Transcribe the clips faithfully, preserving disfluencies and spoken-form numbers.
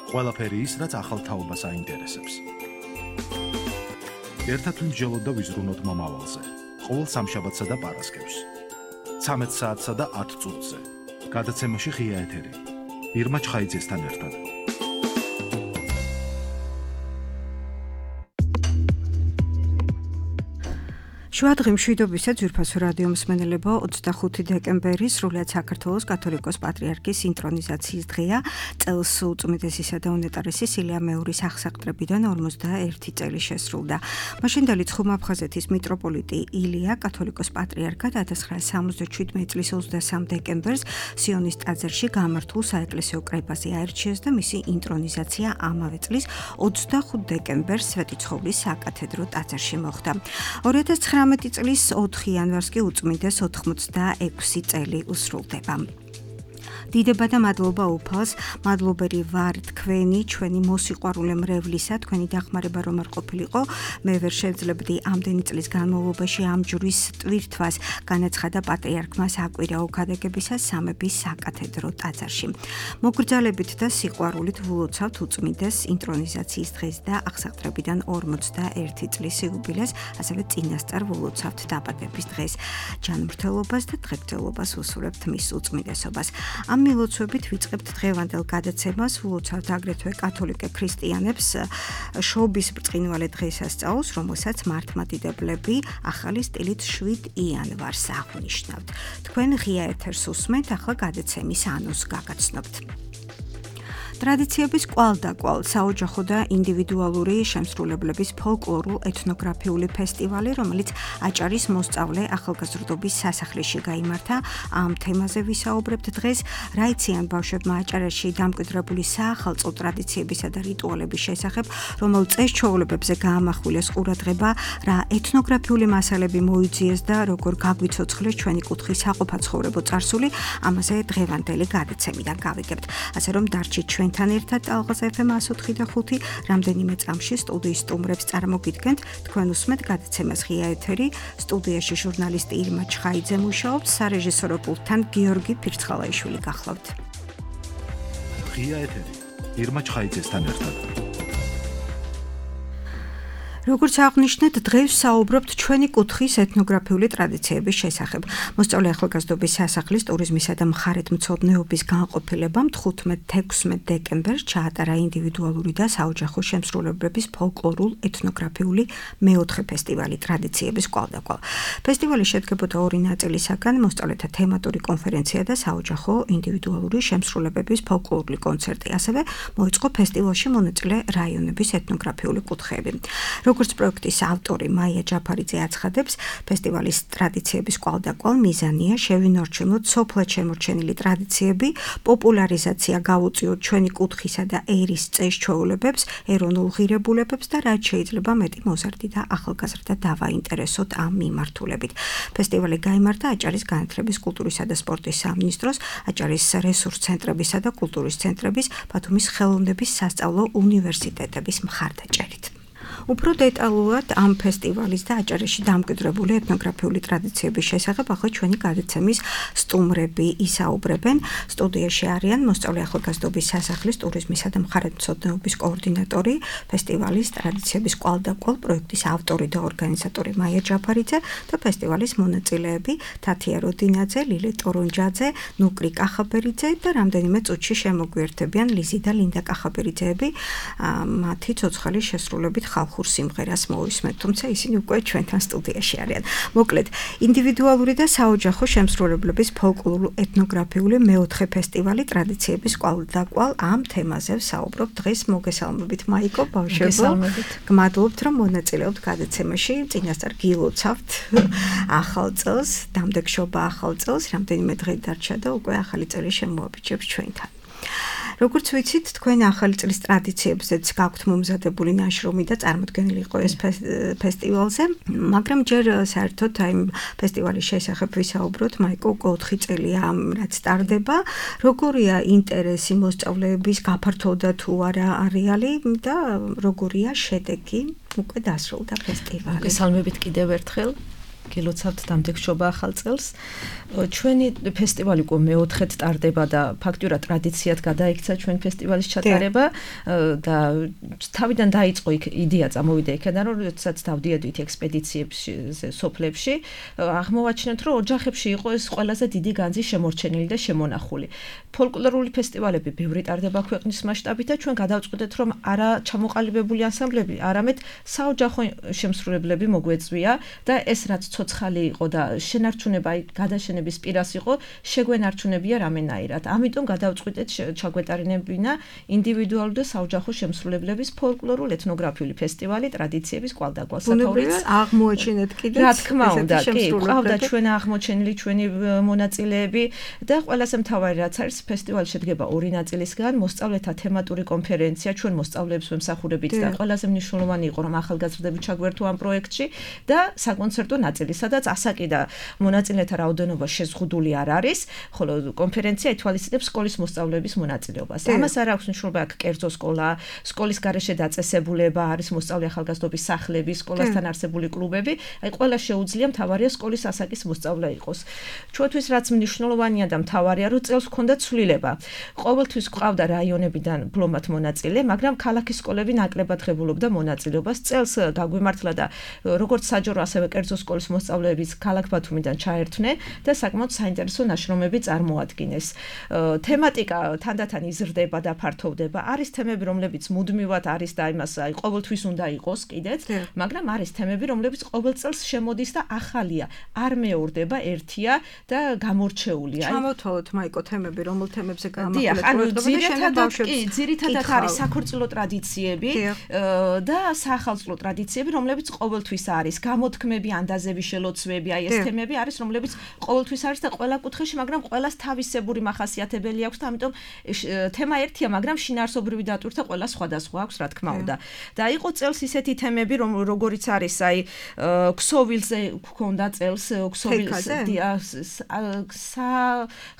ყველაფერი ის, რაც ახალ თაობას აინტერესებს. ერთად ვიმსჯელოთ და ვიზრუნოთ მომავალზე. ყოველ სამშაბათსა და პარასკევს. ცამეტ საათსა და ათ წუთზე. გადაცემაში ღია ეთერი. ირმა ჩხაიძესთან ერთად. შვადღი მშვიდობისა ძვირფასო რადიო მსმენელებო, ოცდახუთი დეკემბერი სრულიად საქართველოს კათოლიკოს პატრიარქის ინტრონიზაციის დღეა. წელს უწმიდესისა და უნეტარესი სილია მეორის აღსაყდრებიდან ორმოცდაერთი წელი შესრულდა. მაშინდელი ცხუმ-აფხაზეთის მიტროპოლიტი ილია კათოლიკოს პატრიარქად ათას ცხრაასი სამოცდაშვიდმეტი წლის ოცდასამ დეკემბერს სიონის ტაძარში გამართულ საეკლესიო კრებაზე აირჩიეს და მისი ინტრონიზაცია ამავე წლის ოცდახუთ დეკემბერს სვეტიცხოვლის საკათედრო ტაძარში მოხდა. ორი ათას ცხრამეტი წლის ოთხი იანვარს კი უწმიდეს ოთხმოცდაექვსი წელი უსრულდება. დიდება და მადლობა უფალს, მადლობერი ვარ თქვენი, ჩვენი მოსიყვარულე მრევლისა, თქვენი დახმარება რომ არ ყოფილიყო, მე ვერ შევძლებდი ამდენი წლის განმავლობაში ამ ჯვრის ტვირთვას, განაცხადა პატრიარქმა საკვირაო ქადაგებისას სამების საკათედრო ტაძარში. მოგრძალებით და სიყვარულით ვლოცავთ უწმიდეს ინტრონიზაციის დღეს და აღსაყდრებიდან ორმოცდაერთი წლის იუბილეს, ასევე წინასწარ ვლოცავთ დაბადების დღეს. ჯანმრთელობას და დღეგრძელობას ვუსურებთ მის უწმიდესობას. ამ მილოცვებით ვიწყებთ დღევანდელ გადაცემას, ვლოცავთ აგრეთვე კათოლიკე ქრისტიანებს შობის ბრწყინვალე დღესასწაულს, რომელსაც მართლმადიდებლები ახალი სტილით შვიდ იანვარს აღნიშნავთ. თქვენ ღია ეთერს უსმენთ, ახლა გადაცემის ანონსს გაგაცნობთ. ტრადიციების კვალდაკვალ საოჯახო და ინდივიდუალური შემსრულებლების ფოლკლორულ-ეთნოგრაფიული ფესტივალი, რომელიც აჭარის მოსწავლე ახალგაზრდობის სასახლეში გაიმართა. ამ თემაზე ვისაუბრებთ დღეს. რა იციან ბავშვებმა აჭარაში დამკვიდრებული საახალწლო ტრადიციებისა და რიტუალების შესახებ, რომელ წეს-ჩვეულებებზე გაამახვილეს ყურადღება, რა ეთნოგრაფიული მასალები მოიძიეს და როგორ გაგვიცოცხლეს ჩვენი კუთხის საყოფაცხოვრებო წარსული, ამაზე დღევანდელი გადაცემიდან გავიგებთ. ასე რომ დარჩით ჩვენ თან ერთად ტალღაზე ეფ ემ εκατო ოთხი და ხუთი, რამდენიმე წამში სტუდიის სტუმრებს წარმოგიდგენთ, თქვენ უსმენთ გადაცემას ღია ეთერი, სტუდიაში ჟურნალისტი ირმა ჩხაიძე მუშაობს, სარეჟისორო პულტთან გიორგი ფირცხალაიშვილი გახლავთ. ღია ეთერი, ირმა ჩხაიძესთან ერთად. როგორც აღნიშნეთ, დღეს საუბრობთ ჩვენი კუთხის ეთნოგრაფიული ტრადიციების შესახებ. მოსწავლე ახალგაზრდობის სასახლის ტურიზმისა და მხარეთმცოდნეობის განყოფილებამ თხუთმეტ-თექვსმეტ დეკემბერს ჩაატარა ინდივიდუალური და საოჯახო შემსრულებლების ფოლკლორულ-ეთნოგრაფიული მეოთხე ფესტივალი ტრადიციების კვალდაკვალ. ფესტივალი შედგებოდა ორი ნაწილისაგან, მოსწავლეთა თემატური კონფერენცია და საოჯახო ინდივიდუალური შემსრულებლების ფოლკლორული კონცერტი. ასევე მოეწყო ფესტივალში მონაწილე რაიონების ეთნოგრაფიული კუთხეები. როგორც პროექტის ავტორი მაია ჯაფარიძე აცხადებს, ფესტივალის ტრადიციების კვალდაკვალ მიზანია შევინარჩუნოთ სოფლად შემორჩენილი ტრადიციები, პოპულარიზაცია გავუწიოთ ჩვენი კუთხისა და ერის წეს-ჩვეულებებს, ეროვნულ ღირებულებებს და რაც შეიძლება მეტი მოზარდი და ახალგაზრდა დავაინტერესოთ ამ მიმართულებით. ფესტივალი გაიმართა აჭარის განათლების, კულტურისა და სპორტის სამინისტროს, აჭარის რესურს ცენტრებისა და კულტურის ცენტრების, ბათუმის ხელოვნების სასწავლო უნივერსიტეტების მხარდაჭერით. უფრო დეტალურად ამ ფესტივალის და აჭარაში დამკვიდრებული ეთნოგრაფიული ტრადიციების შესახებ ახლა ჩვენი გადაცემის სტუმრები ისაუბრებენ. სტუდიაში არიან მოსწავლე ახალგაზრდობის სასახლის ტურიზმისა და მხარეთმცოდნეობის კოორდინატორი, ფესტივალის ტრადიციების კვალდაკვალ პროექტის ავტორი და ორგანიზატორი მაია ჯაფარიძე და ფესტივალის მონაწილეები თათია როდინაძე, ლილე ტორონჯაძე, ნუკრი კახაბერიძე და რამდენიმე წუთში შემოგვიერთებიან ლიზი და ლინდა კახაბერიძეები. მათი ცოცხალი შესრულებით ხალხურ სიმღერას მოვისმენთ, თუმცა ისინი უკვე ჩვენთან სტუდიაში არიან. მოკლედ, ინდივიდუალური და საოჯახო შემსრულებლების ფოლკლორულ-ეთნოგრაფიული მეოთხე ფესტივალი ტრადიციების კვალდაკვალ ამ თემაზე ვსაუბრობ დღეს. მოგესალმებით მაიკო, ბავშვებო. გმადლობთ რომ მონაწილეობთ გადაცემაში. წინასწარ გილოცავთ ახალ წელს, დამდეგშობა ახალ წელს, რამდენიმე დღე დარჩა და უკვე ახალი წელი შემოაბიჯებს ჩვენთან. როგორც ვიცით, თქვენ ახალი წლის ტრადიციებზეც გაქვთ მომზადებული ნაშრომი და წარმოდგენილი იყო ეს ფესტივალზე, მაგრამ ჯერ საერთოდ აი ფესტივალის შესახებ ვისაუბროთ, მაიკო, უკვე ოთხი წელია რაც ტარდება. როგორია ინტერესი მოსწავლეების, გაფართოვდა თუ არა არეალი და როგორია შედეგი? უკვე დასრულდა ფესტივალი. მოგესალმებით კიდევ ერთხელ. გილოცავთ დამდეგშობა ახალ წელს. ჩვენი ფესტივალი უკვე მეოთხედ ტარდება და ფაქტურად ტრადიციად გადაიქცა ჩვენ ფესტივალის ჩატარება და თავიდან დაიწყო იქ იდეა წამოვიდა იქიდან რომ როდესაც დავდიოდით ექსპედიციებში სოფლებში აღმოვაჩინეთ რომ ოჯახებში იყო ეს ყველაზე დიდი განძი შემორჩენილი და შემონახული. ფოლკლორული ფესტივალები ბევრი ტარდება ქვეყნის მასშტაბით და ჩვენ გადავწყვეტეთ რომ არა ჩამოყალიბებული ანსამბლები, არამედ საოჯახო შემსრულებლები მოგვეწვია და ეს რაც ცოცხალი იყო და შენარჩუნება გადაშენების პირას იყო, შეგვენარჩუნებია რამენაირად. ამიტომ გადავწყვეტეთ ჩაგვეტარინებინა ინდივიდუალური და საოჯახო შემსრულებლების ფოლკლორულ ეთნოგრაფიული ფესტივალი ტრადიციების კვალდაკვალ სათაურიც აღმოაჩინეთ კიდეც. რა თქმა უნდა, კი, ყავდა ჩვენ აღმოჩენილი ჩვენი მონაწილეები და ყველაზე მთავარი რაც არის ფესტივალი შედგება ორი ნაწილისგან, მოსწავლეთა თემატური კონფერენცია, ჩვენ მოსწავლეებს ვემსახურებით და ყველაზე მნიშვნელოვანი იყო რომ ახალგაზრდები ჩაგვერთო ამ პროექტში და საკონცერტო ნაწილი, სადაც ასაკი და მონაწილეთა რაოდენობა შეზღუდული არ არის, ხოლო კონფერენცია ითვალისწინებს სკოლის მოსწავლეების მონაწილეობას. ამას არ აქვს მნიშვნელობა აქ კერძო სკოლა, სკოლის გარეშე დაწესებულება, არის მოსწავლე ახალგაზრდობის სახლები, სკოლასთან არსებული კლუბები, აი ყველა შეუძლია მთავარია სკოლის ასაკის მოსწავლე იყოს. ჩვენთვის რაც მნიშვნელოვანია და მთავარია, რომ წელს ჰქონდა ცვლილება. ყოველთვის ყავდა რაიონებიდან ბლომად მონაწილე, მაგრამ ქალაქის სკოლები ნაკლებად ღებულობდა მონაწილეობას. წელს გაგვიმართლა და როგორც საჯარო ასევე კერძო სკოლის მოსწავლეებიც ქალაქ ბათუმიდან ჩაერთვნენ და საკმაოდ საინტერესო ნაშრომები წარმოადგინეს. თემატიკა თანდათან იზრდება და ფართოვდება. არის თემები, რომლებიც მუდმივად არის და იმას აი ყოველთვის უნდა იყოს კიდეც, მაგრამ არის თემები, რომლებიც ყოველ წელს შემოდის და ახალია, არ მეორდება, ერთია და გამორჩეულია. ჩამოთვალოთ მაიკო თემები, რომელ თემებზე გამახვილეთ პროექტები და კი, ძირითადად არის საქორწილო ტრადიციები და საახალწლო ტრადიციები, რომლებიც ყოველთვის არის. გამოთქმები, ანდაზები, შელოცვები, აი ეს თემები არის, რომლებიც ყოველთვის არის და ყველა კუთხეში, მაგრამ ყველას თავისებური მახასიათებელი აქვს და ამიტომ თემა ერთია, მაგრამ შინაარსობრივი დატვირთვა ყველა სხვადასხვა აქვს, რა თქმა უნდა. და იყო წელს ისეთი თემები, რომ როგორიც არის, აი ქსოვილზე გქონდა წელს ქსოვილზე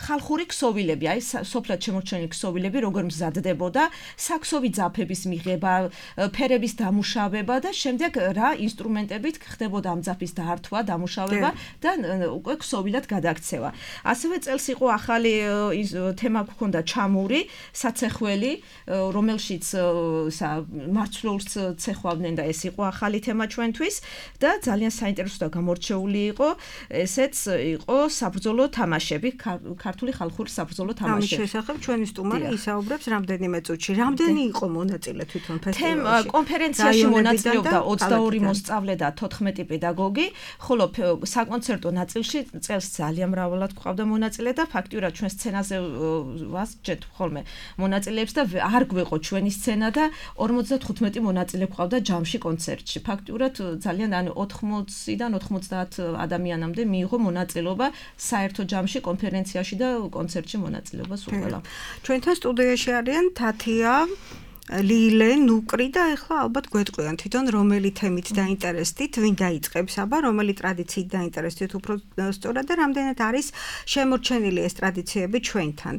ხალხური ქსოვილები, აი სოფლად შემორჩენილი ქსოვილები, როგორ მზადდებოდა, საქსოვი ძაფების მიღება, ფერების დამუშავება და შემდეგ რა ინსტრუმენტებით ხდებოდა ამ ძაფის დაართვა, დამუშავება და უკვე ქსოვილად გადაქცევა. ასევე წელს იყო ახალი თემა გქონდა ჩამური, საცეხველი, რომელშიც მარცვლეულს ცეხვავდნენ და ეს იყო ახალი თემა ჩვენთვის და ძალიან საინტერესო და გამორჩეული იყო, ესეც იყო საბრძოლო თამაშები, ქართული ხალხური საბრძოლო თამაშები. ამის შესახებ ჩვენი სტუმარი ისაუბრებს რამდენიმე წუთში. რამდენი იყო მონაწილე თვითონ ფესტივალში? კონფერენციაში მონაწილეობდა ოცდაორი მოსწავლე და თოთხმეტი პედაგოგი, ხოლო საკონცერტო ნაწილში წელს ძალიან მრავალად გვყავდა მონაწილე და ფაქტურად ჩვენ სცენაზე ვასჯეთ ხოლმე მონაწილეებს და არ გვეყო ჩვენი სცენა და ორმოცდათხუთმეტი მონაწილე გვყავდა ჯამში კონცერტში. ფაქტურად ძალიან ანუ ოთხმოციდან ოთხმოცდაათ ადამიანამდე მიიღო მონაწილეობა საერთო ჯამში, კონფერენციაში და კონცერტში მონაწილეობა სულ ყველა. ჩვენთან სტუდიაში არიან თათია, ლილე, ნუკრი და ეხლა ალბათ გვეტყვიან თვითონ რომელი თემით დაინტერესდით, ვინ დაიწყებს აბა, რომელი ტრადიციით დაინტერესდით უფრო სწორად და რამდენად არის შემორჩენილი ეს ტრადიციები ჩვენთან.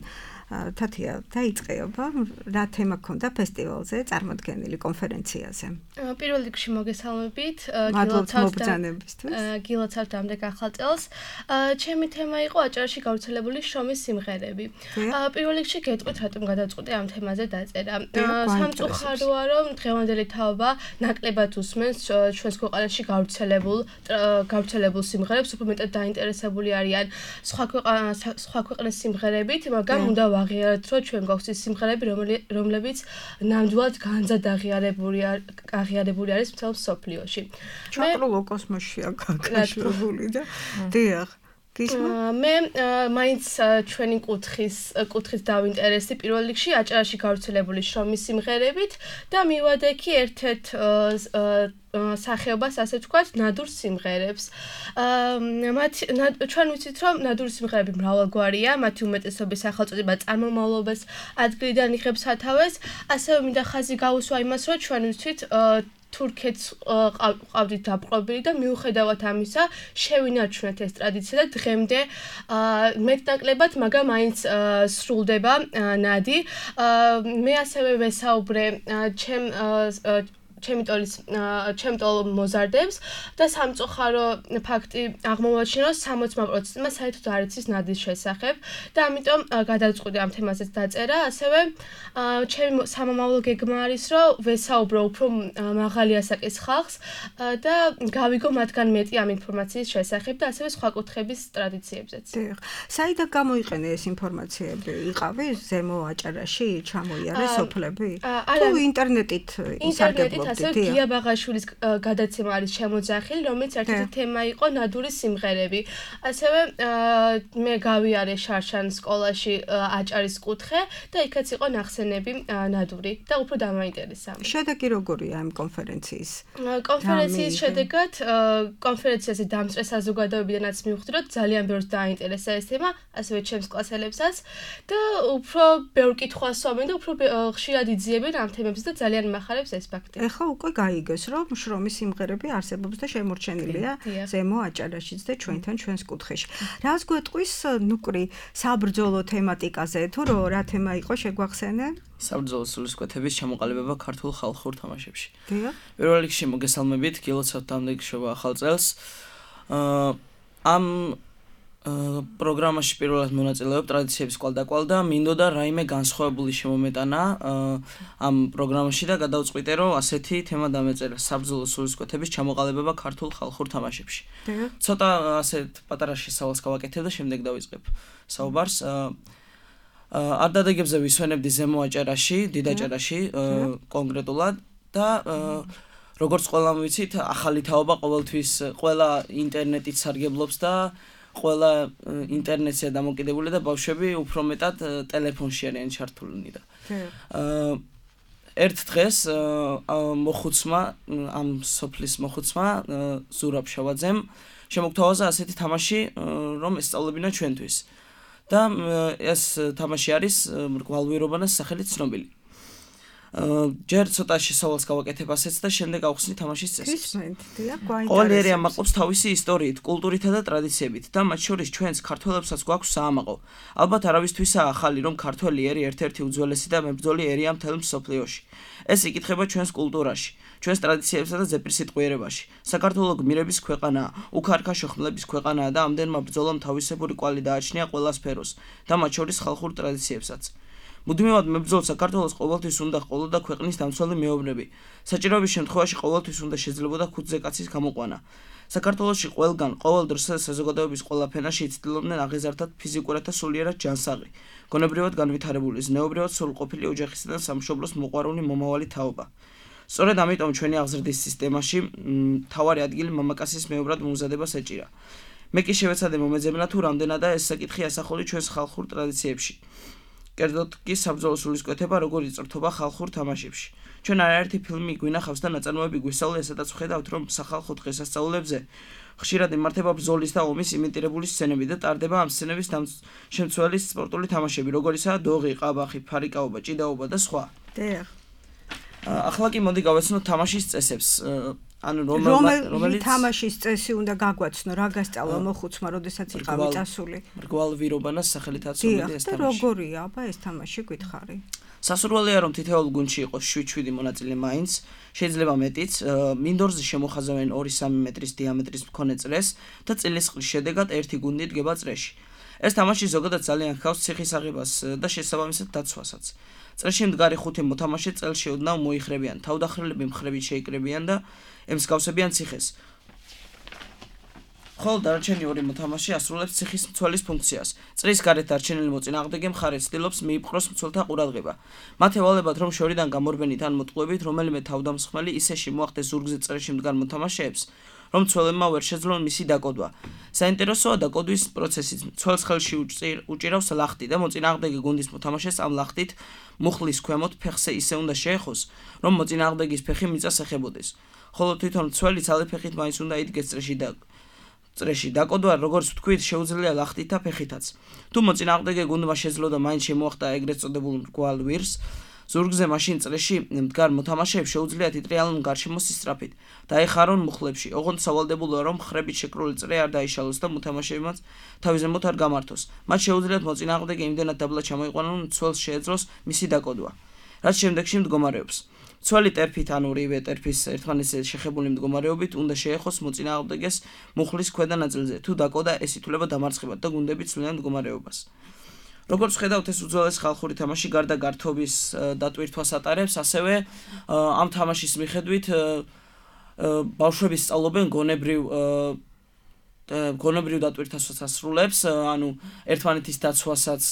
თათია, დაიწყეობა, რა თემა გქონდა ფესტივალზე წარმოდგენილი კონფერენციაზე? პირველ რიგში მოგესალმებით, გილოცავთ გილოცავთ ამდენ ახალ წელს. ჩემი თემა იყო აჭარაში გავრცელებული შრომის სიმღერები. პირველ რიგში გეტყვით, რატომ გადავწყვიტე ამ თემაზე დაწერა. სამწუხაროა, რომ დღევანდელი თაობა ნაკლებად უსმენს ჩვენს ქვეყანაში გავრცელებულ გავრცელებულ სიმღერებს, უფრო მეტად დაინტერესებული არიან სხვა სხვა ქვეყნის სიმღერებით, მაგრამ უნდა აღიარეთ, რომ ჩვენ გვაქვს ის სიმღერები, რომლებიც ნამდვილად განზად აღიარებული აღიარებული არის მთელ მსოფლიოში. ჩაკრულო კოსმოსშია გაკაშრებული და დიახ. მე მაინც ჩვენი კუთხის კუთხით დავინტერესდი პირველ რიგში აჭარაში გავრცელებული შრომის სიმღერებით და მივადე კი ერთ-ერთ სახეობას, ასე ვთქვათ, ნადურ სიმღერებს. მათ ჩვენ ვიცით, რომ ნადური სიმღერები მრავალგვარია, მათი უმეტესობის სახელწოდება წარმომავლობის ადგილიდან იღებს სათავეს, ასევე მინდა ხაზი გაუსვა იმას, რომ ჩვენ ვიცით თურქეთს ყავდით დაპყრობილი და მიუხედავად ამისა შევინარჩუნეთ ეს ტრადიცია და დღემდე მეტნაკლებად მაგრამ მაინც სრულდება ნადი. მე ასევე ვესაუბრე ჩემ ჩემი ტოლის ჩემ ტოლ მოზარდებს და სამწუხარო ფაქტი აღმოვაჩინა, რომ სამოცდა პროცენტმა საერთოდ არ იცის ნადის შესახებ და ამიტომ გადავწყვიტე ამ თემაზეც დაწერა. ასევე ჩემი სამომავლო გეგმა არის, რომ ვესაუბრო უფრო მაღალი ასაკის ხალხს და გავიგო მათგან მეტი ამ ინფორმაციის შესახებ და ასევე სხვა კუთხების ტრადიციებზეც. დიახ. საიდან გამოიყენე ეს ინფორმაციები? იყავი ზემო აჭარაში, ჩამოიარე სოფლები? თუ ინტერნეტით ისარგებლობდი? ასე გია ბაღაშვილის გადაცემა არის შემოძახილი, რომელიც ერთ-ერთი თემა იყო ნადურის სიმღერები. ასევე მე გავიარე შარშან სკოლაში აჭარის კუთხე და იქაც იყო ნახსენები ნადური და უფრო დამაინტერესა. შედეგი როგორია ამ კონფერენციის? კონფერენციის შედეგად კონფერენციაზე დამწვე საზოგადოებიდანაც მივხვდი, რომ ძალიან ბევრს დააინტერესა ეს თემა, ასევე ჩემს კლასელებსაც და უფრო ბევრ კითხვას სვამენ და უფრო ხშირად იძიებენ ამ თემებს და ძალიან მახარებს ეს ფაქტი. ეხლა უკვე გაიგეს, რომ შრომის სიმღერები არსებობს და შემორჩენილია ზემო აჭარაშიც და ჩვენთან ჩვენს კუთხეში. რას გვეტყვის ნუკრი საბრძოლო თემატიკაზე, თუ რა თემა იყო შეგვახსენე? საბრძოლო სულისკვეთების ჩამოყალიბება ქართულ ხალხურ თამაშებში. დიახ. პირველ რიგში მოგესალმებით, გილოცავთ დამდეგშობა ახალ წელს. ამ პროგრამაში პირველად მონაწილეობ ტრადიციების კვალდაკვალ და მინდოდა რაიმე განსხვავებული შემომეტანა ამ პროგრამაში და გადავწყვიტე, რომ ასეთი თემა დამეწერა საბრძოლო სულისკვეთების ჩამოყალიბება ქართულ ხალხურ თამაშებში. ცოტა ასეთ პატარა შესავალს გავაკეთებ და შემდეგ დავიწყებ საუბარს. არ დადეგებზე ვისვენებდი ზემო აჭარაში, დიდ აჭარაში კონკრეტულად და როგორც ყველამ ვიცით, ახალი თაობა ყოველთვის ყველა ინტერნეტით სარგებლობს და ყველა ინტერნეტზე დამოკიდებული და ბავშვები უფრო მეტად ტელეფონში არიან ჩართულნი და ერთ დღეს მოხუცმა ამ სოფლის მოხუცმა ზურაბ შავაძემ შემოგთავაზა ასეთი თამაში, რომ ესწავლებინა ჩვენთვის და ეს თამაში არის მრგვალვირობანას სახელით ცნობილი. ჯერ ცოტა შესავალს გავაკეთებ ასეც და შემდეგ ავხსნი თამაშის წესებს. ყოველი ერი ამაყობს თავისი ისტორიით, კულტურითა და ტრადიციებით და მათ შორის ჩვენს ქართველებსაც გვაქვს საამაყო. ალბათ არავისთვისაა ახალი, რომ ქართველი ერი ერთ-ერთი უძველესი და მებრძოლი ერია მთელ მსოფლიოში. ეს იკითხება ჩვენს კულტურაში, ჩვენს ტრადიციებსა და ზეპირსიტყვიერებაში. საქართველო გმირების ქვეყანაა, უქარქა შოხმლების ქვეყანაა და ამდენმა ბრძოლამ თავისებური კვალი დააჩნია ყველა სფეროს და მათ შორის ხალხურ ტრადიციებსაც. მუდმივად მებრძოლ საქართველოს ყოველთვის უნდა ყოლოდა ქვეყნის დამცველი მეომრები. საჭიროების შემთხვევაში ყოველთვის უნდა შეძლებოდა ხუთზე კაცის გამოყვანა. საქართველოში ყველგან ყოველ დროს საზოგადოების ყველა ფენაში იცდილობდნენ აღეზარდად ფიზიკურად და სულიერად ჯანსაღი, გონებრივად განვითარებული, ზნეობრივად სრულყოფილი ოჯახისა და სამშობლოს მოყვარული მომავალი თაობა. სწორედ ამიტომ ჩვენი აღზრდის სისტემაში მთავარი ადგილი მამაკაცის მეომრად მომზადებას ეჭირა. მე კი შევეცადე მომეძებნა თუ რამდენადაა ეს საკითხი ასახული ჩვენს ხალხურ ტრადიციებში. კერძოდ კი საბრძოლო სულისკვეთება როგორ იწვრთობა ხალხურ თამაშებში. ჩვენ არაერთი ფილმი გვინახავს და ნაწარმოები გვისწავლია, სადაც ხედავთ, რომ სახალხო დღესასწაულებზე ხშირად იმართება ბრძოლის და ომის იმიტირებული სცენები და ტარდება ამ სცენების შემცველი სპორტული თამაშები, როგორიცაა დოღი, ყაბახი, ფარიკაობა, ჭიდაობა და სხვა. დიახ. ახლა კი მოდი გავეცნოთ თამაშის წესებს. ანუ რომელი თამაშის წესი უნდა გაგვაცნო, რა გასწავლა მოხუცმა, როდესაც იყავი წასული? მრგვალვირობანას სახელითაც მომედი ეს თამაში. და როგორია, აბა ეს თამაში გითხარი? სასურველია, რომ თითოეულ გუნდში იყოს შვიდ-შვიდი მონაწილე მაინც, შეიძლება მეტიც, მინდორზე შემოხაზავენ ორი-სამი მეტრის დიამეტრის მქონე წრეს და წილისყრის შედეგად ერთი გუნდი დგება წრეში. ეს თამაში ზოგადად ძალიან ჰგავს ციხის აღებას და შესაბამისად დაცვასაც. წრეში მდგარი ხუთი მოთამაშე წელში ოდნავ მოიხრებიან, თავდახრილები მხრებით შეიკრებიან და ემსგავსებიან ციხეს. ხოლო დარჩენილი ორი მოთამაშე ასრულებს ციხის მცველის ფუნქციას. წრის გარეთ დარჩენილი მოწინააღმდეგე მხარე ცდილობს მიიპყროს მცველთა ყურადღება. მათ ევალებათ, რომ შორიდან გამორბენით ან მოტყუებით რომელიმე თავდამსხმელი ისე შემოახდეს ზურგზე წრეში მდგარ მოთამაშეებს, რომ მცველებმა ვერ შეძლონ მისი დაკოდვა. საინტერესოა დაკოდვის პროცესიც. მცველს ხელში უჭირავს ლახტი და მოწინააღმდეგე გუნდის მოთამაშეს ამ ლახტით მუხლის ქვემოთ ფეხზე ისე უნდა შეეხოს, რომ მოწინააღმდეგის ფეხი მიწას ეხებოდეს. ხოლო თვითონ მცველი ძალე ფეხით მაინც უნდა იდგეს წრეში და წრეში დაკოდვა, როგორც ვთქვით, შეუძლია ლახტით და ფეხითაც. თუ მოწინააღმდეგე გუნდმა შეძლო და მაინც შემოახტა ეგრეთ წოდებულ მრგვალ ვირს, ზურგზე მაშინ წრეში მდგარ მოთამაშეებს შეუძლიათ იტრიალონ გარშემო სისწრაფით, დაეხარონ მუხლებში. ოღონდ სავალდებულოა, რომ მხრებით შეკრული წრე არ დაიშალოს და მოთამაშეებმაც თავის ზემოთ არ გამართოს. მათ შეუძლიათ მოწინააღმდეგე იმდენად დაბლა ჩამოიყვანონ, რომ მცველს შეეძლოს მისი დაკოდვა. რაც შემდეგში მდგომარეობს. Ცველი ტერფით ან ორივე ტერფის ერთმანეთზე შეხებული მდგომარეობით უნდა შეეხოს მოწინააღმდეგეს მუხლის ქვედა ნაწილზე. თუ დაკოდა, ეს ითვლება დამარცხებად და გუნდები ცვლიან მდგომარეობას. როგორც ხედავთ, ეს უძველესი ხალხური თამაში გარდა გართობის დატვირთვას ატარებს, ასევე ამ თამაშის მიხედვით ბავშვები სწავლობენ გონებრივ გონებრივ დატვირთვასაც ასრულებს, ანუ ერთმანეთის დაცვასაც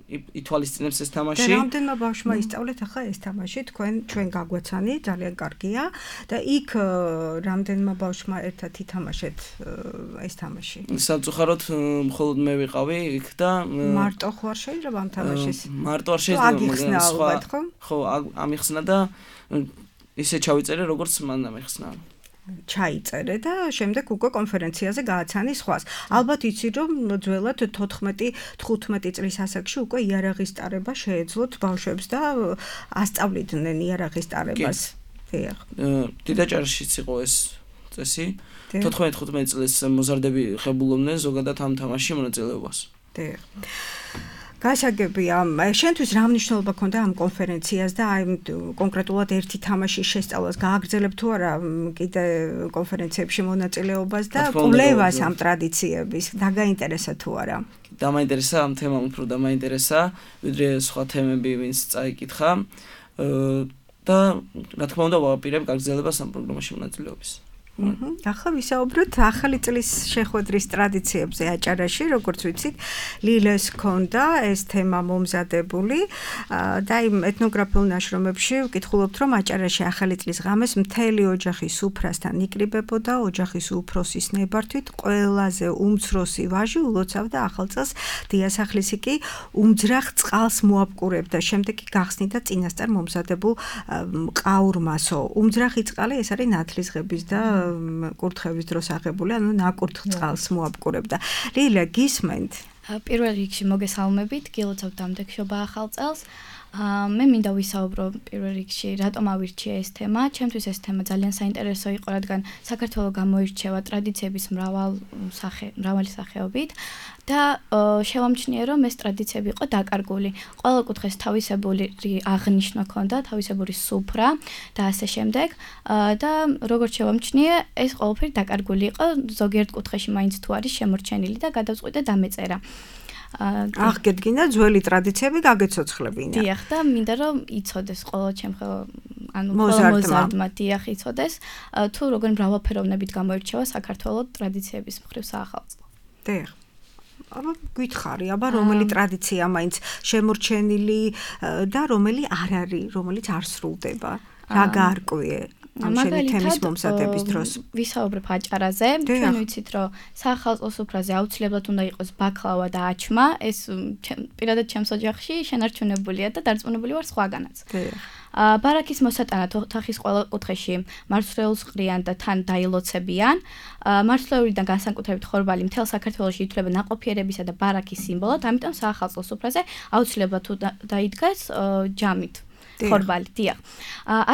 ითვალისწინებს ეს თამაში. და რამდენმა ბავშვმა ისწავლეთ ახლა ეს თამაში, თქვენ ჩვენ გაგვაცანი, ძალიან კარგია და იქ რამდენმა ბავშვმა ერთად ითამაშეთ ეს თამაში. სამწუხაროდ მხოლოდ მე ვიყავი იქ და მარტო ხო არ შეიძლება ამ თამაშის? მარტო არ შეიძლება, სხვა ხო, ამიხსნა და ისე ჩავიწერე, როგორც მან ამიხსნა. ჩაიწერე და შემდეგ უკვე კონფერენციაზე გააცანი სხვას. ალბათ იცი რომ ძველად თოთხმეტი თხუთმეტი წლის ასაკში უკვე იარაღის ტარება შეეძლოთ ბავშვებს და ასწავლიდნენ იარაღის ტარებას. დიახ. დიდაჭარაშიც იყო ეს წესი. თოთხმეტი თხუთმეტი წლის მოზარდები ხებულობდნენ ზოგადად ამ თამაშში მონაწილეობას. დიახ. გასაგებია, შენთვის რა მნიშვნელობა ქონდა ამ კონფერენციას და აი კონკრეტულად ერთი თამაშის შესწავლას გააგრძელებ თუ არა კიდე კონფერენციებში მონაწილეობას და კვლევას ამ ტრადიციების დაგაინტერესა თუ არა? დამაინტერესა ამ თემამ უფრო დამაინტერესა, ვიდრე სხვა თემები ვინც წაიკითხა და რა თქმა უნდა ვაპირებ გაგრძელებას ამ პროგრამაში მონაწილეობის. ახლა ვისაუბროთ ახალი წლის შეხვედრის ტრადიციებზე აჭარაში, როგორც ვიცით, ლილეს ქონდა ეს თემა მომზადებული და იმ ეთნოგრაფიულ ნაშრომებში ვკითხულობთ, რომ აჭარაში ახალი წლის ღამეს მთელი ოჯახი სუფრასთან იკრიბებოდა, ოჯახის უფროსის ნებართვით ყველაზე უმცროსი ვაჟი ულოცავდა ახალ წელს, დიასახლისი კი უმძრახ წყალს მოაპკურებდა, შემდეგ კი გახსნიდა წინასწარ მომზადებულ ყაურმასო. უმძრახი წყალი ეს არის ნათლისღების და კურთხევის დროს აღებული, ანუ ნაკურთხ წყალს მოაპკურებდა. ლილა, გისმენთ? პირველ რიგში მოგესალმებით, გილოცავთ დამდეგშობა ახალ წელს. მე მინდა ვისაუბრო პირველ რიგში, რატომ ავირჩიე ეს თემა. ჩემთვის ეს თემა ძალიან საინტერესო იყო, რადგან საქართველო გამოირჩევა ტრადიციების მრავალ სახე, მრავალი სახეობით და შევამჩნიე, რომ ეს ტრადიციები იყო დაკარგული. ყველა კუთხეს თავისებული აღნიშვნა ჰქონდა, თავისებური სუფრა და ასე შემდეგ. და როგორც შევამჩნიე, ეს ყველაფერი დაკარგული იყო, ზოგიერთ კუთხეში მაინც თუ არის შემორჩენილი და გადავწყვიტე დამეწერა. აღგედგინა ძველი ტრადიციები გაგეცოცხლებინა. დიახ, და მინდა რომ იცოდეს ყველა ჩემხელ ანუ მოზარდმა დიახ იცოდეს, თუ როგორი მრავალფეროვნებით გამოირჩევა საქართველოს ტრადიციების მხრივ საახალწლო. დიახ. აბა გითხარი, აბა რომელი ტრადიცია მაინც შემორჩენილი და რომელი არ არის, რომელიც არ სრულდება? რა გაარკვიე? ამჟამად თემის მომზადების დროს ვისაუბრებ აჭარაზე. ჩვენ ვიცით, რომ საახალწლო სუფრაზე აუცილებლად უნდა იყოს ბაკლავა და აჩმა. ეს პირადად ჩემს ოჯახში შენარჩუნებულია და დარწმუნებული ვარ სხვაგანაც. ბარაქის მოსატანად ოთახის ყველა კუთხეში მარცვლეულს ყრიან და თან დაილოცებიან. მარცვლეულიდან განსაკუთრებით ხორბალი მთელ საქართველოში ითვლება ნაყოფიერებისა და ბარაქის სიმბოლოდ, ამიტომ საახალწლო სუფრაზე აუცილებლად თუ დაიდგას ჯამით. ხორბალი, დიახ.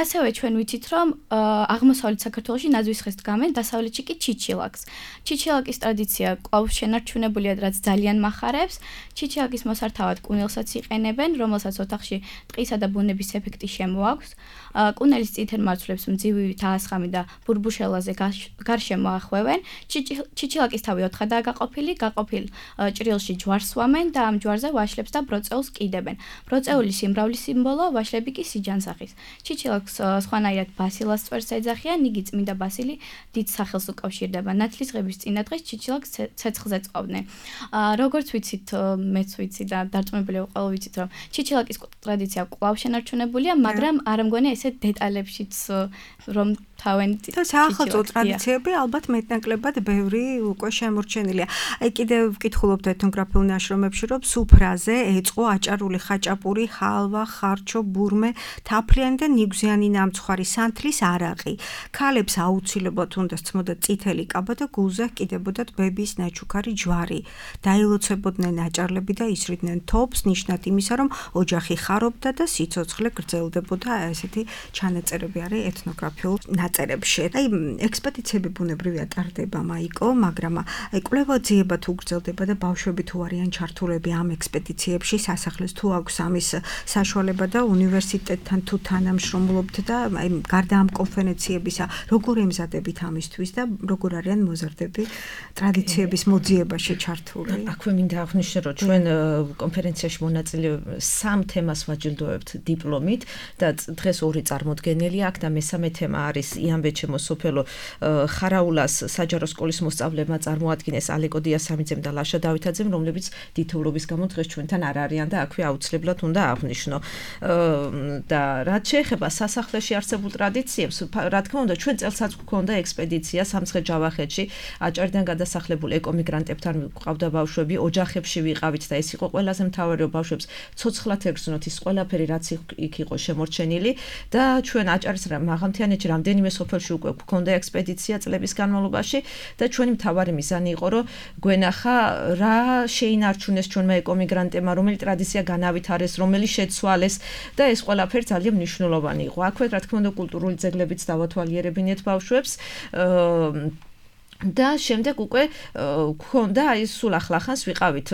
ასევე ჩვენ ვიცით, რომ აღმოსავლეთ საქართველოში ნაძვის ხეს დგამენ, დასავლეთში კი ჩიჩილაკს. ჩიჩილაკის ტრადიცია კვლავ შენარჩუნებულია, რაც ძალიან მახარებს. ჩიჩილაკის მოსართავად კუნელსაც იყენებენ, რომელსაც ოთახში ტყისა და ბუნების ეფექტი შემოაქვს. კუნელის წითელ მარცვლებს მძივივით აასხამი და ბურბუშელაზე გარშემო ახვევენ. ჩიჩილაკის თავი ოთხადაა გაყოფილი, გაყოფილ ჭრილში ჯვარს სვამენ და ამ ჯვარზე ვაშლებს და ბროწეულს კიდებენ. ბროწეული სიმრავლის სიმბოლო, ვაშლები კი სიჯანსახის. ჩიჩილაკს სხვანაირად ბასილას წვერს ეძახიან, იგი წმინდა ბასილი დიდ სახელს უკავშირდება. ნათლისღების წინა დღეს ჩიჩილაკს ცეცხლზე წვავდნენ. როგორც ვიცით, მეც ვიცი და დარწმუნებული ვარ, ყველა ვიცით, რომ ჩიჩილაკის ტრადიცია კვლავ შენარჩუნებულია, მაგრამ არ მგონია ესე დეტალებშიც რომ თავენით საახალწლო ტრადიციები ალბათ მეტნაკლებად ბევრი უკვე შემორჩენილია. აი კიდევ ვკითხულობთ ეთნოგრაფიულ ნაშრომებში, რომ სუფრაზე ეწყო აჭარული ხაჭაპური, ხალვა, ხარჩო, ბურმე, თაფლიანი და ნიგვზიანი ნამცხვარი სანთლის არაყი. ქალებს აუცილებლად უნდა სცმოდა წითელი კაბა და გულზე ჰკიდებოდათ ბების ნაჩუქარი ჯვარი. დაილოცებოდნენ აჭარლები და ისრიდნენ თოფს, ნიშნად იმისა, რომ ოჯახი ხარობდა და სიცოცხლე გრძელდებოდა. ესეთი ჩანაწერები არის ეთნოგრაფიულ ნაწერებში. აი ექსპედიციები ბუნებრივია ტარდება, მაიკო, მაგრამ აი კვლევაძიება თუ გრძელდება და ბავშვები თუ არიან ჩართულები ამ ექსპედიციებში, სასახლეს თუ აქვს ამის საშუალება და უნივერსიტეტი უნივერსიტეტთან თუ თანამშრომლობთ და აი გარდა ამ კონფერენციებისა როგორ ემზადებით ამისთვის და როგორ არიან მოზარდები ტრადიციების მოძიებაში ჩართული? აქვე მინდა აღვნიშნო, რომ ჩვენ კონფერენციაში მონაწილე სამ თემას ვაჯილდოებთ დიპლომით და დღეს ორი წარმოდგენელი აქვს და მესამე თემა არის იანბეჩემო სოფელო ხარაულას საჯარო სკოლის მოსწავლეებმა წარმოადგინეს ალეკო დიასამიძემ და ლაშა დავითაძემ, რომლებიც დიდთოვლობის გამო დღეს ჩვენთან არ არიან და აქვე აუცილებლად უნდა აღვნიშნო. და რაც შეეხება სასახლეში არსებულ ტრადიციებს, რა თქმა უნდა, ჩვენ წელსაც გვქონდა ექსპედიცია სამცხე-ჯავახეთში, აჭარიდან გადასახლებულ ეკომიგრანტებთან გვყავდა ბავშვები, ოჯახებში ვიყავით და ეს იყო ყველაზე მთავარი, რომ ბავშვებს ცოცხლად ეგრძნოთ ის ყველაფერი, რაც იქ იყო შემორჩენილი და ჩვენ აჭარის მაღალმთიანეთში რამდენიმე სოფელში უკვე გვქონდა ექსპედიცია წლების განმავლობაში და ჩვენი მთავარი მიზანი იყო, რომ გვენახა რა შეინარჩუნეს ჩვენმა ეკომიგრანტებმა, რომელი ტრადიცია განავითარეს, რომელი შეცვალეს და ეს ყველაფერი ძალიან მნიშვნელოვანი იყო. აქვე რა თქმა უნდა კულტურული ძეგლებიც დავათვალიერებინეთ ბავშვებს და შემდეგ უკვე გქონდა აი სულ ახლახანს ვიყავით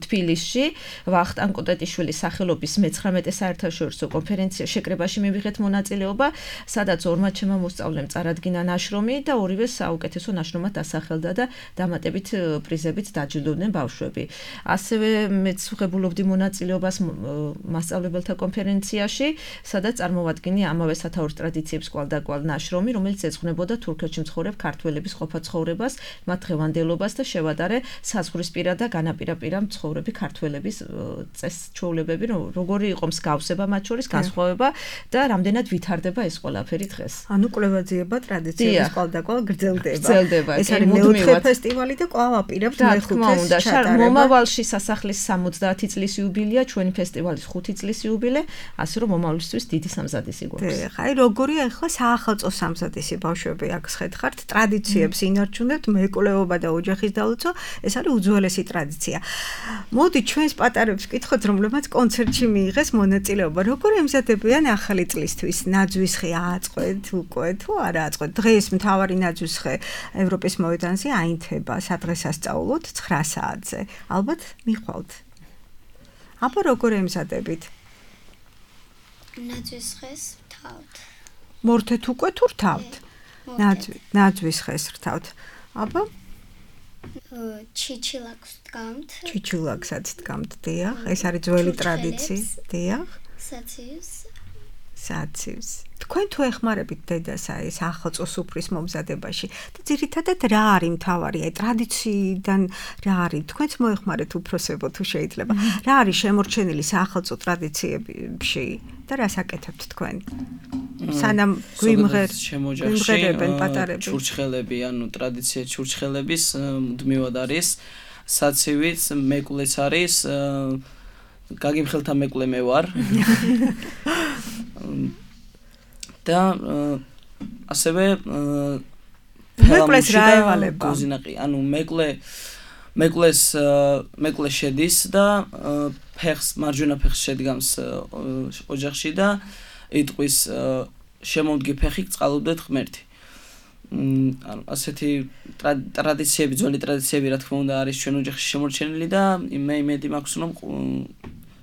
თბილისში ვახტანგ კოტეტიშვილის სახელობის მეცხრამეტე საერთაშორისო კონფერენცია შეკრებაში მივიღეთ მონაწილეობა, სადაც ორმა ჩემმა მოსწავლემ წარადგინა ნაშრომი და ორივე საუკეთესო ნაშრომად დასახელდა და დამატებით პრიზებით დაჯილდოვდნენ ბავშვები. ასევე მეც ვღებულობდი მონაწილეობას მასწავლებელთა კონფერენციაში, სადაც წარმოვადგინე ამავე სათაურის ტრადიციებს კვალდაკვალ ნაშრომი, რომელიც ეძღვნებოდა თურქეთში მცხოვრებ ქართველების ყოფა-ცხოვრებას, მათ დღევანდელობას და შევადარე საზღვრისპირა და განაპირაპირა მცხოვრები ქართველების წესჩვეულებები, როგორი იყო მსგავსება მათ შორის, განსხვავება და რამდენად ვითარდება ეს ყველაფერი დღეს. ანუ კვლევაძიება ტრადიციების კვალდაკვალ გრძელდება. გრძელდება. ეს არის მეოთხე ფესტივალი და კვლავ აპირებთ მეხუთეს ჩატარება. მომავალში სასახლის სამოცდაათი წლის იუბილეა, ჩვენი ფესტივალის ხუთი წლის იუბილე, ასე რომ მომავლისთვის დიდი სამზადისი გვაქვს. აი როგორია ახლა საახალწლო სამზადისი ბავშვები აქ შეხართ ტრადიციებს ინარჩუნებთ, მეკვლეობა და ოჯახის დალოცვა, ეს არის უძველესი ტრადიცია. მოდი ჩვენს პატარებს ვკითხოთ, რომლებმაც კონცერტში მიიღეს მონაწილეობა. როგორ ემზადებიან ახალი წლისთვის? ნაძვისხე ააწყვეთ უკვე თუ არა ააწყვეთ? დღეს მთავარი ნაძვისხე ევროპის მოედანზე აინთება სადღესასწაულოდ ცხრა საათზე. ალბათ მიხვალთ. აბა როგორ ემზადებით? ნაძვისხეს ვრთავთ. მორთეთ უკვე თუ ვრთავთ? ნაძვისხეს ვრთავთ. აბა ჩიჩილაკს დგამთ. ჩიჩილაკსაც დგამთ, დიახ. ეს არის ძველი ტრადიცია, დიახ. საცივს. საცივს. თქვენ თუ ეხმარებით დედას აი ეს ახალწლო სუფრის მომზადებაში და ძირითადად რა არის მთავარი აი ტრადიციიდან რა არის თქვენც მოეხმარეთ უფროსებო თუ შეიძლება რა არის შემორჩენილი ახალწლო ტრადიციებში და რას აკეთებთ თქვენ სანამ გვიმღერ შემოჯახში ჩურჩხელები ანუ ტრადიცია ჩურჩხელების მუდმივად არის საცივიც მეკვლეც არის გაგიმხელთა მეკვლე მე ვარ და ასევე მეკლეს რა ევალება გოზინაყი ანუ მეკლე მეკლეს მეკლე შედის და ფეხს მარჯვენა ფეხს შედგამს ოჯახში და იტყვის შემოვდგე ფეხი წყალობდეთ ღმერთი ანუ ასეთი ტრადიციები ძველი ტრადიციები რა თქმა უნდა არის ჩვენ ოჯახში შემორჩენილი და მე იმედი მაქვს რომ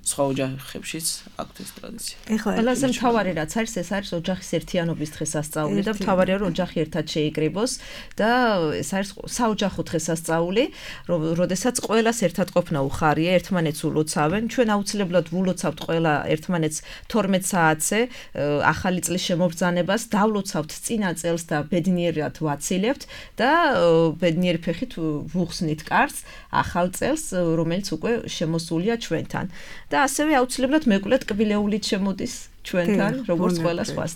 სხვა ოჯახებშიც აქვს ეს ტრადიცია. ყველაზე მთავარი რაც არის ეს არის ოჯახის ერთიანობის დღესასწაული და მთავარია რომ ოჯახი ერთად შეიკრიბოს და ეს არის საოჯახო დღესასწაული, როდესაც ყველას ერთად ყოფნა უხარია, ერთმანეთს ულოცავენ. ჩვენ აუცილებლად ულოცავთ ყველა ერთმანეთს თორმეტ საათზე ახალი წლის შემობრძანებას, დავლოცავთ წინა წელს და ბედნიერად ვაცილებთ და ბედნიერი ფეხით ვუხსნით კარს ახალ წელს, რომელიც უკვე შემოსულია ჩვენთან. და ასევე აუცილებლად მეკლე ტკბილეულით შემოდის ჩვენთან, როგორც ყველა სხვას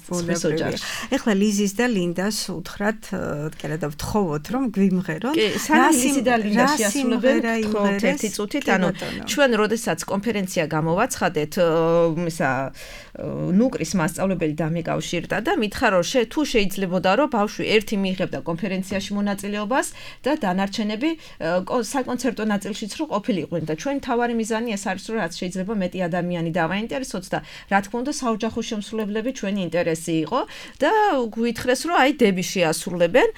ოჯახში. ეხლა ლიზის და ლინდას უთხრათ, კერა და ვთხოვოთ, რომ გვიმღერონ. რა ლიზი და ლინდა შეასრულებენ თხოვთ ერთი წუთით, ანუ ჩვენ როდესაც კონფერენცია გამოვაცხადეთ, ისა ნუკრის მასწავლებელი დამეკავშირდა და მითხრა რომ თუ შეიძლებოდა რომ ბავშვი ერთი მიიღებდა კონფერენციაში მონაწილეობას და დანარჩენები საკონცერტო ნაწილშიც რო ყოფილიყვნენ და ჩვენ თავარი მიზანი ეს არის რომ რაც შეიძლება მეტი ადამიანი დავაინტერესოთ და რა თქმა უნდა საოჯახო შემსრულებლები ჩვენი ინტერესი იყო და გვითხრეს რომ აი დები შეასრულებენ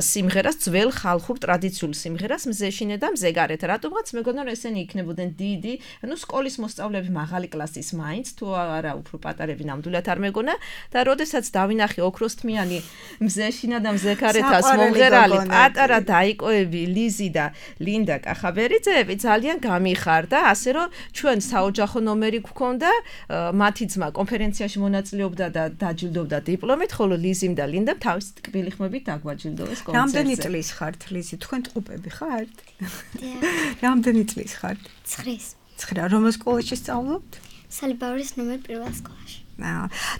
სიმღერას ძველ ხალხურ ტრადიციულ სიმღერას მზეშინე და მზეგარეთ რატომღაც მეგონა რომ ესენი იქნებოდნენ დიდი ანუ სკოლის მოსწავლეები მაღალი კლასის მაინც თუ არა უფრო პატარები ნამდვილად არ მეგონა და როდესაც დავინახე ოქროსთმიანი მზეშინა და მზეგარეთას მომღერალი პატარა დაიკოები ლიზი და ლინდა კახაბერიძეები ძალიან გამიხარდა ასე რომ ჩვენ საოჯახო ნომერი გვქონდა მათი ძმა კონფერენციაში მონაწილეობდა და დაჯილდოვდა დიპლომით ხოლო ლიზიმ და ლინდამ თავისი ტკბილი ხმებით დაგვაჯილდოვეს კონცერტზე რამდენი წლის ხართ ლიზი თქვენ ტყუპები ხართ რამდენი წლის ხართ ცხრის ცხრა რომელ სკოლაში სწავლობთ სალიბაურის ნომერ პირველ სკოლაში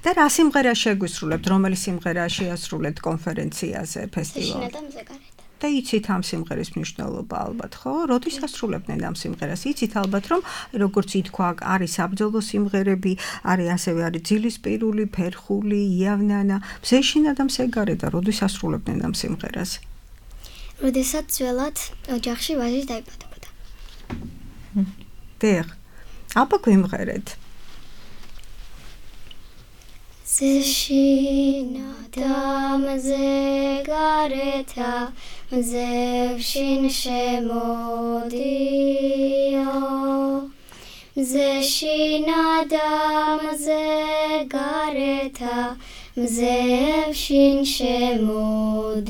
და რა სიმღერა შეგვისრულებთ რომელი სიმღერა შეასრულეთ კონფერენციაზე ფესტივალზე და მზეგარეთ და იცით ამ სიმღერის მნიშვნელობა ალბათ ხო? როდის ასრულებდნენ ამ სიმღერას? იცით ალბათ რომ როგორც ითქვა არის საბრძოლო სიმღერები, არის ასევე არის ძილისპირული, ფერხული, იავნანა, მზეშინა და მზეგარე და როდის ასრულებდნენ ამ სიმღერას? როდესაც ძველად ოჯახში ვაჟი დაიბადებოდა. დიახ. აბა გვიმღერეთ. მზეშინა და მზეგარეთა მზევშინ შემოდიო მზეშინა და მზეგარეთა მზევშინ შემოდიო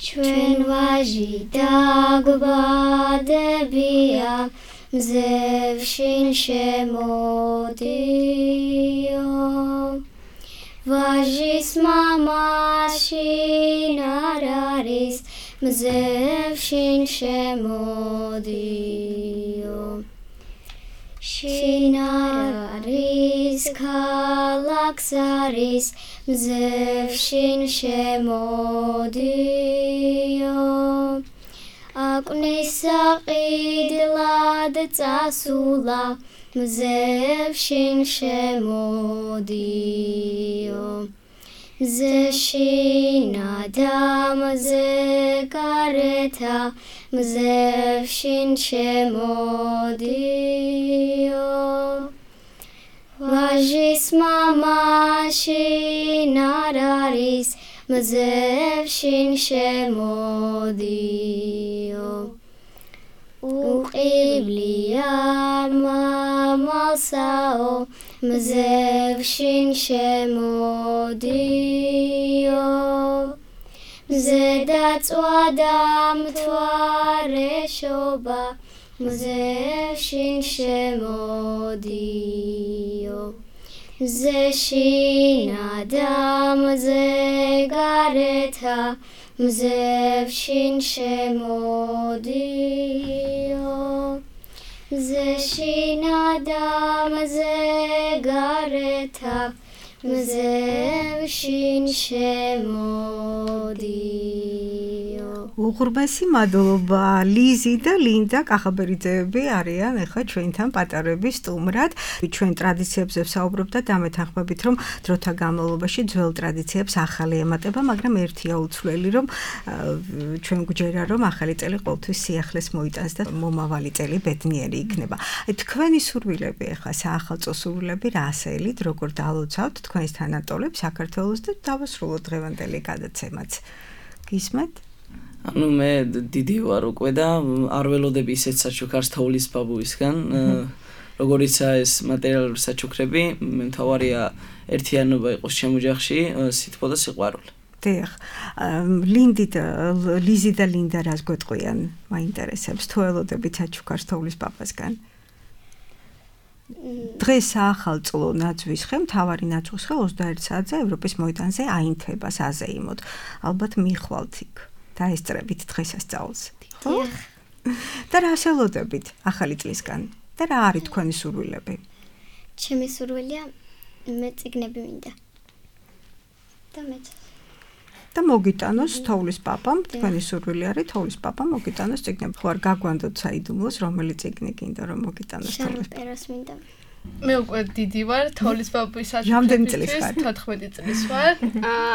ჩვენ ვაჟი დაგვბადებია მზევშინ შემოდიო ვაჟის მამაშინ არ არის მზევშინ შემოდიო შინ არ არის ქალაქს არის მზევშინ შემოდიო აკნის საყიდლად წასულა მზევშინ შემოდიო მზეშინა და მზეგარეთა მზევშინ შემოდიო ვაჟის მამაშინ არ არის მზევშინ შემოდიო უყივლია მამალსაო მზევშინ შემოდიო მზედაწვა და მთვარეშობა მზევშინ შემოდიო მზეშინა და მზეგარეთა მზევშინ შემოდიო მზეშინა და მზეგარეთა მზევშინ შემოდიო უღრმესი მადლობა ლიზი და ლინდა კახაბერიძეები არიან ახლა ჩვენთან პატარების სტუმრად ჩვენ ტრადიციებზე ვსაუბრობთ და დამეთანხმებით რომ დროთა განმავლობაში ძველ ტრადიციებს ახალი ემატება მაგრამ ერთია უცვლელი რომ ჩვენ გვჯერა რომ ახალი წელი ყოველთვის სიახლეს მოიტანს და მომავალი წელი ბედნიერი იქნება აი თქვენი სურვილები ახლა საახალწლო სურვილები რა ასეილით როგორ დალოცავთ თქვენს თანატოლებს საქართველოს და დავასრულოთ დღევანდელი გადაცემაც გისმენთ ანუ მე დიდი ვარ უკვე და არ ველოდები ისეთ საჩუქარს თოვლის ბაბუისგან როგორიცაა ეს მატერიალური საჩუქრები მე მთავარია ერთიანობა იყოს ჩემ ოჯახში სითბო და სიყვარული დიახ ლინდი და ლიზი და ლინდა რას გვეტყვიან მაინტერესებს თუ ველოდებით საჩუქარს თოვლის ბაბასგან დღეს საახალწლო ნაძვის ხე მთავარი ნაძვის ხე ოცდაერთ საათზე ევროპის მოედანზე აინთება საზეიმოდ ალბათ მიხვალთ იქ დაესწრებით დღესასწაულს ხო და რა ასელოდებით ახალი წლისგან და რა არის თქვენი სურვილები ჩემი სურვილია მე წიგნები მინდა და მე და მოგიტანოს თოვლის პაპამ თქვენი სურვილი არის თოვლის პაპამ მოგიტანოს წიგნები ხო არ გაგვანდოთ საიდუმლოს რომელი წიგნი გინდა რომ მოგიტანოს თოვლის პეროს მინდა მე უკვე დიდი ვარ თოვლის პაპის საჩუქრების თოთხმეტი წლის ვარ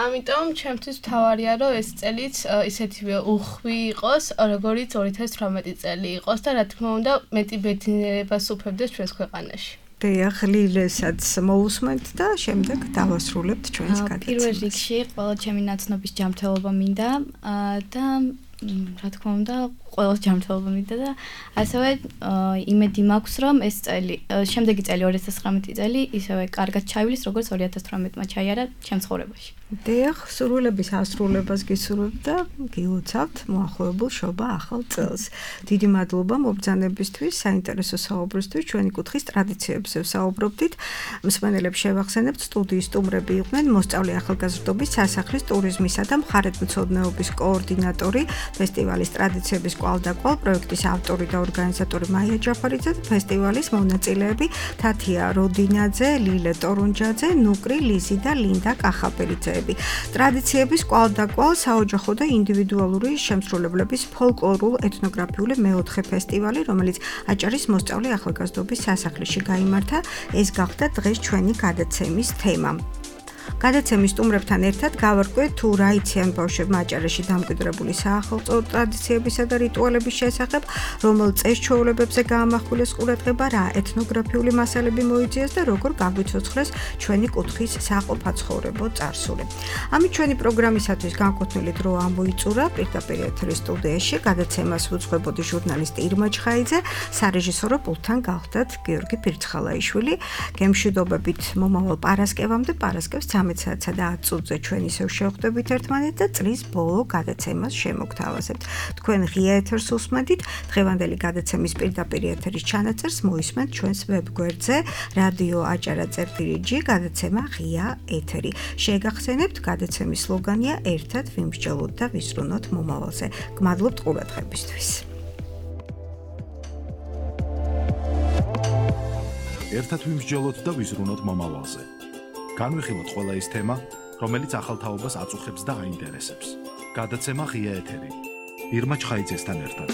ამიტომ ჩემთვის მთავარია რომ ეს წელიც ისეთივე უხვი იყოს როგორც ორი ათას თვრამეტი წელი იყოს და რა თქმა უნდა მეტი ბედნიერებას უფევდეს ჩვენს ქვეყანაში დიახ, ლილესაც მოусმენთ და შემდეგ დავასრულებთ ჩვენს გადაცემას. პირველ რიგში ყველა ჩემი ნაცნობის ჯანმრთელობა მინდა და რა თქმა უნდა, ყველა ჯანმრთელობა მინდა და ასევე იმედი მაქვს, რომ ეს წელი, შემდეგი წელი ორი ათას ცხრამეტი წელი ისევე კარგად ჩაივლის, როგორც ორი ათას თვრამეტმა ჩაიარა ჩემ ცხოვრებაში. დიახ, სრულების ასრულებას გისურვებთ და გილოცავთ მოახლოებულ შობა ახალ წელს. დიდი მადლობა მობრძანებისთვის, საინტერესო საუბრისთვის, ჩვენი კუთხის ტრადიციებზე ვსაუბრობდით. მსმენელებს შევახსენებთ, სტუდიის სტუმრები იყვნენ მოსწავლე ახალგაზრდობის სასახლის ტურიზმისა და მხარეთმცოდნეობის კოორდინატორი, ფესტივალის ტრადიციების კვალდაკვალ პროექტის ავტორი და ორგანიზატორი მაია ჯაფარიძე და ფესტივალის მონაწილეები თათია როდინაძე, ლილე ტორუნჯაძე, ნუკრი ლიზი და ლინდა კახაბერიძე. ტრადიციების კვალდაკვალ საოჯახო და ინდივიდუალური შემსრულებლების ფოლკლორულ ეთნოგრაფიული მეოთხე ფესტივალი, რომელიც აჭარის მოსწავლე ახალგაზრდობის სასახლეში გაიმართა, ეს გახდა დღეს ჩვენი გადაცემის თემა. გადაცემის სტუმრებთან ერთად გავარკვევთ თუ რა იციან ბავშვებმა აჭარაში დამკვიდრებული საახალწლო ტრადიციებისა და რიტუალების შესახებ, რომელ წეს-ჩვეულებებზე გაამახვილეს ყურადღება, რა ეთნოგრაფიული მასალები მოიძიეს და როგორ გაგვიცოცხლეს ჩვენი კუთხის საყოფაცხოვრებო წარსული. ამით ჩვენი პროგრამისათვის განკუთვნილი დრო ამოიწურა. პირდაპირ ეთერის სტუდიაში გადაცემას უძღვებოდი ჟურნალისტი ირმა ჩხაიძე, სარეჟისორო პულტთან გავხდათ გიორგი ფირცხალაიშვილი. გემშვიდობებით მომავალ პარასკევამდე, პარასკევს ცამეტ საათსა და ათ წუთზე ჩვენ ისევ შევხვდებით ერთმანეთს და წლის ბოლო გადაცემას შემოგთავაზებთ. თქვენ ღია ეთერს უსმენთ. დღევანდელი გადაცემის პირდაპირ ეთერის ჩანაწერს მოისმენთ ჩვენს ვებგვერდზე რადიო აჭარა წერტილი ჯი გადაცემა ღია ეთერი. შეგახსენებთ, გადაცემის სლოგანია ერთად ვიმსჯელოთ და ვისრუნოთ მომავალზე. გმადლობთ ყურადღებისთვის. ერთად ვიმსჯელოთ და ვიზრუნოთ მომავალზე. განვიხილოთ ყველა ის თემა, რომელიც ახალ თაობას აწუხებს და აინტერესებს. გადაცემა ღია ეთერი. ირმა ჩხაიძესთან ერთად.